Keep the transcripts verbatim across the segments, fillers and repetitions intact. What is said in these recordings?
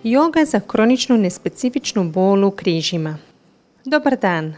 Joga za kroničnu nespecifičnu bol u križima. Dobar dan.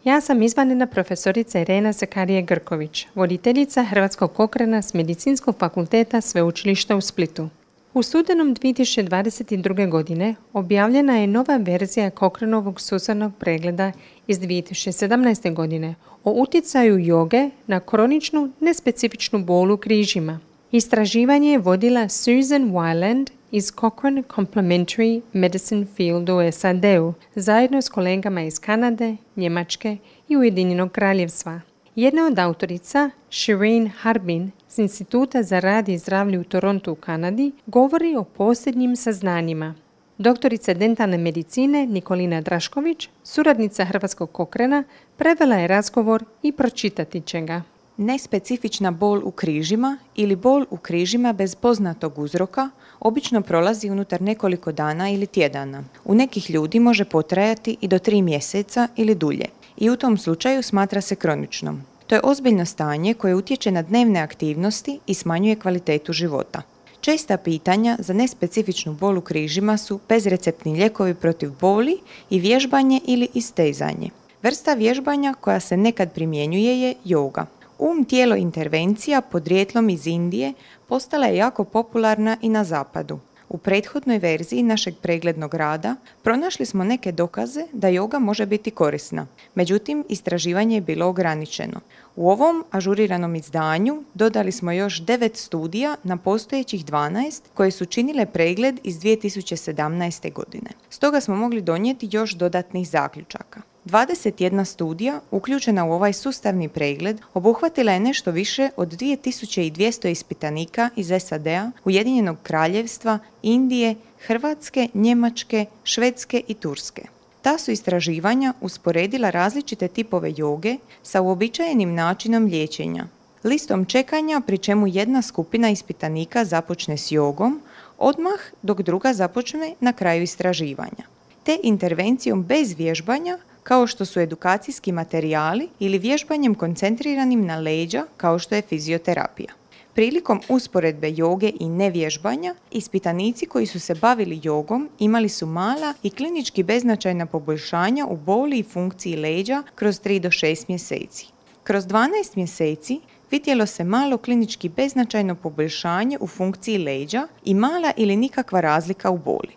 Ja sam izvanredna profesorica Irena Zakarije-Grković, voditeljica Hrvatskog Cochrana s Medicinskog fakulteta Sveučilišta u Splitu. U studenom dvije tisuće dvadeset druge. godine objavljena je nova verzija Cochranovog sustavnog pregleda iz dvije tisuće sedamnaeste. godine o utjecaju joge na kroničnu nespecifičnu bol u križima. Istraživanje je vodila Susan Weiland iz Cochrane Complementary Medicine Field u S A D-u, zajedno s kolegama iz Kanade, Njemačke i Ujedinjenog kraljevstva. Jedna od autorica, Shireen Harbin, s Instituta za rad i zdravlje u Torontu u Kanadi, govori o posljednjim saznanjima. Doktorica dentalne medicine Nikolina Drašković, suradnica Hrvatskog Cochrana, prevela je razgovor i pročitati će ga. Nespecifična bol u križima ili bol u križima bez poznatog uzroka obično prolazi unutar nekoliko dana ili tjedana. U nekih ljudi može potrajati i do tri mjeseca ili dulje i u tom slučaju smatra se kroničnom. To je ozbiljno stanje koje utječe na dnevne aktivnosti i smanjuje kvalitetu života. Česta pitanja za nespecifičnu bol u križima su bezreceptni lijekovi protiv boli i vježbanje ili istezanje. Vrsta vježbanja koja se nekad primjenjuje je joga. Um-tijelo intervencija podrijetlom iz Indije postala je jako popularna i na zapadu. U prethodnoj verziji našeg preglednog rada pronašli smo neke dokaze da joga može biti korisna. Međutim, istraživanje je bilo ograničeno. U ovom ažuriranom izdanju dodali smo još devet studija na postojećih dvanaest koje su činile pregled iz dvije tisuće sedamnaeste. godine. Stoga smo mogli donijeti još dodatnih zaključaka. dvadeset jedna studija uključena u ovaj sustavni pregled obuhvatila je nešto više od dvije tisuće dvjesto ispitanika iz S A D-a, Ujedinjenog kraljevstva, Indije, Hrvatske, Njemačke, Švedske i Turske. Ta su istraživanja usporedila različite tipove joge sa uobičajenim načinom liječenja, listom čekanja pri čemu jedna skupina ispitanika započne s jogom, odmah dok druga započne na kraju istraživanja, te intervencijom bez vježbanja kao što su edukacijski materijali ili vježbanjem koncentriranim na leđa kao što je fizioterapija. Prilikom usporedbe joge i nevježbanja, ispitanici koji su se bavili jogom imali su mala i klinički beznačajna poboljšanja u boli i funkciji leđa kroz tri do šest mjeseci. Kroz dvanaest mjeseci vidjelo se malo klinički beznačajno poboljšanje u funkciji leđa i mala ili nikakva razlika u boli.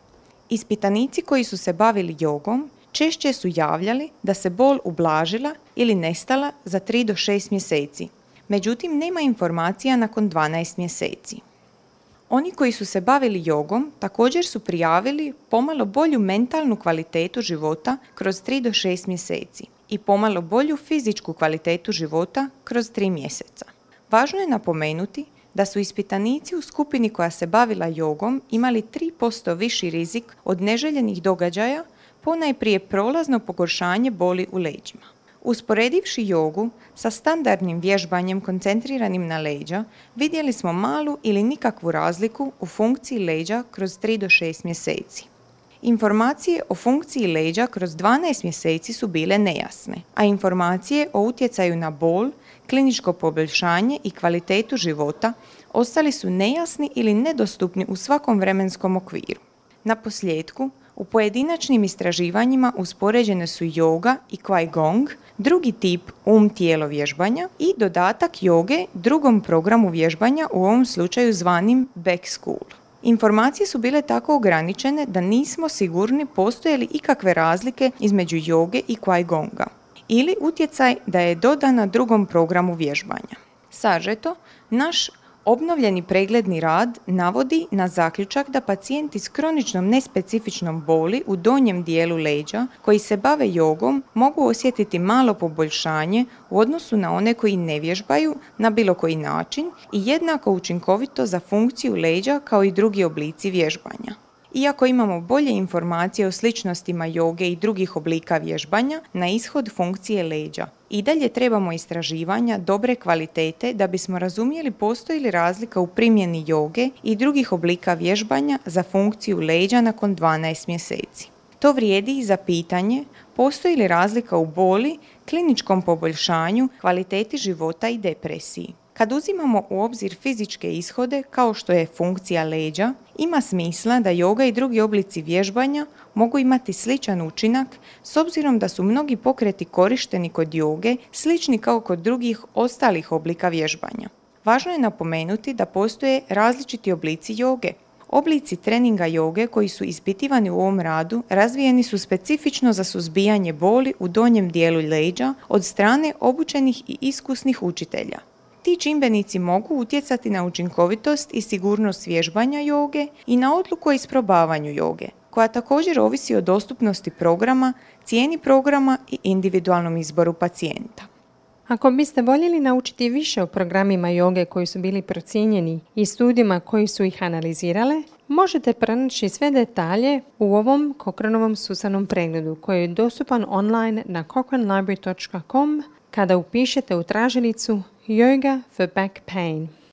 Ispitanici koji su se bavili jogom češće su javljali da se bol ublažila ili nestala za tri do šest mjeseci. Međutim, nema informacija nakon dvanaest mjeseci. Oni koji su se bavili jogom također su prijavili pomalo bolju mentalnu kvalitetu života kroz tri do šest mjeseci i pomalo bolju fizičku kvalitetu života kroz tri mjeseca. Važno je napomenuti da su ispitanici u skupini koja se bavila jogom imali tri posto viši rizik od neželjenih događaja, ponajprije prolazno pogoršanje boli u leđima. Usporedivši jogu sa standardnim vježbanjem koncentriranim na leđa, vidjeli smo malu ili nikakvu razliku u funkciji leđa kroz tri do šest mjeseci. Informacije o funkciji leđa kroz dvanaest mjeseci su bile nejasne, a informacije o utjecaju na bol, kliničko poboljšanje i kvalitetu života ostali su nejasni ili nedostupni u svakom vremenskom okviru. Na posljedku, u pojedinačnim istraživanjima uspoređene su joga i Qigong, drugi tip um-tijelo vježbanja i dodatak joge drugom programu vježbanja, u ovom slučaju zvanim Back School. Informacije su bile tako ograničene da nismo sigurni postoje li ikakve razlike između joge i Qigonga ili utjecaj da je dodana drugom programu vježbanja. Sažeto, naš obnovljeni pregledni rad navodi na zaključak da pacijenti s kroničnom nespecifičnom boli u donjem dijelu leđa koji se bave jogom mogu osjetiti malo poboljšanje u odnosu na one koji ne vježbaju na bilo koji način i jednako učinkovito za funkciju leđa kao i drugi oblici vježbanja. Iako imamo bolje informacije o sličnostima joge i drugih oblika vježbanja na ishod funkcije leđa, i dalje trebamo istraživanja dobre kvalitete da bismo razumjeli postoji li razlika u primjeni joge i drugih oblika vježbanja za funkciju leđa nakon dvanaest mjeseci. To vrijedi i za pitanje postoji li razlika u boli, kliničkom poboljšanju, kvaliteti života i depresiji. Kad uzimamo u obzir fizičke ishode kao što je funkcija leđa, ima smisla da joga i drugi oblici vježbanja mogu imati sličan učinak s obzirom da su mnogi pokreti korišteni kod joge slični kao kod drugih ostalih oblika vježbanja. Važno je napomenuti da postoje različiti oblici joge. Oblici treninga joge koji su ispitivani u ovom radu razvijeni su specifično za suzbijanje boli u donjem dijelu leđa od strane obučenih i iskusnih učitelja. Ti čimbenici mogu utjecati na učinkovitost i sigurnost vježbanja joge i na odluku o isprobavanju joge, koja također ovisi o dostupnosti programa, cijeni programa i individualnom izboru pacijenta. Ako biste voljeli naučiti više o programima joge koji su bili procijenjeni i studijima koji su ih analizirale, možete pronaći sve detalje u ovom Cochranovom sustavnom pregledu koji je dostupan online na cochrane library dot com kada upišete u tražilicu Yoga for Back Pain.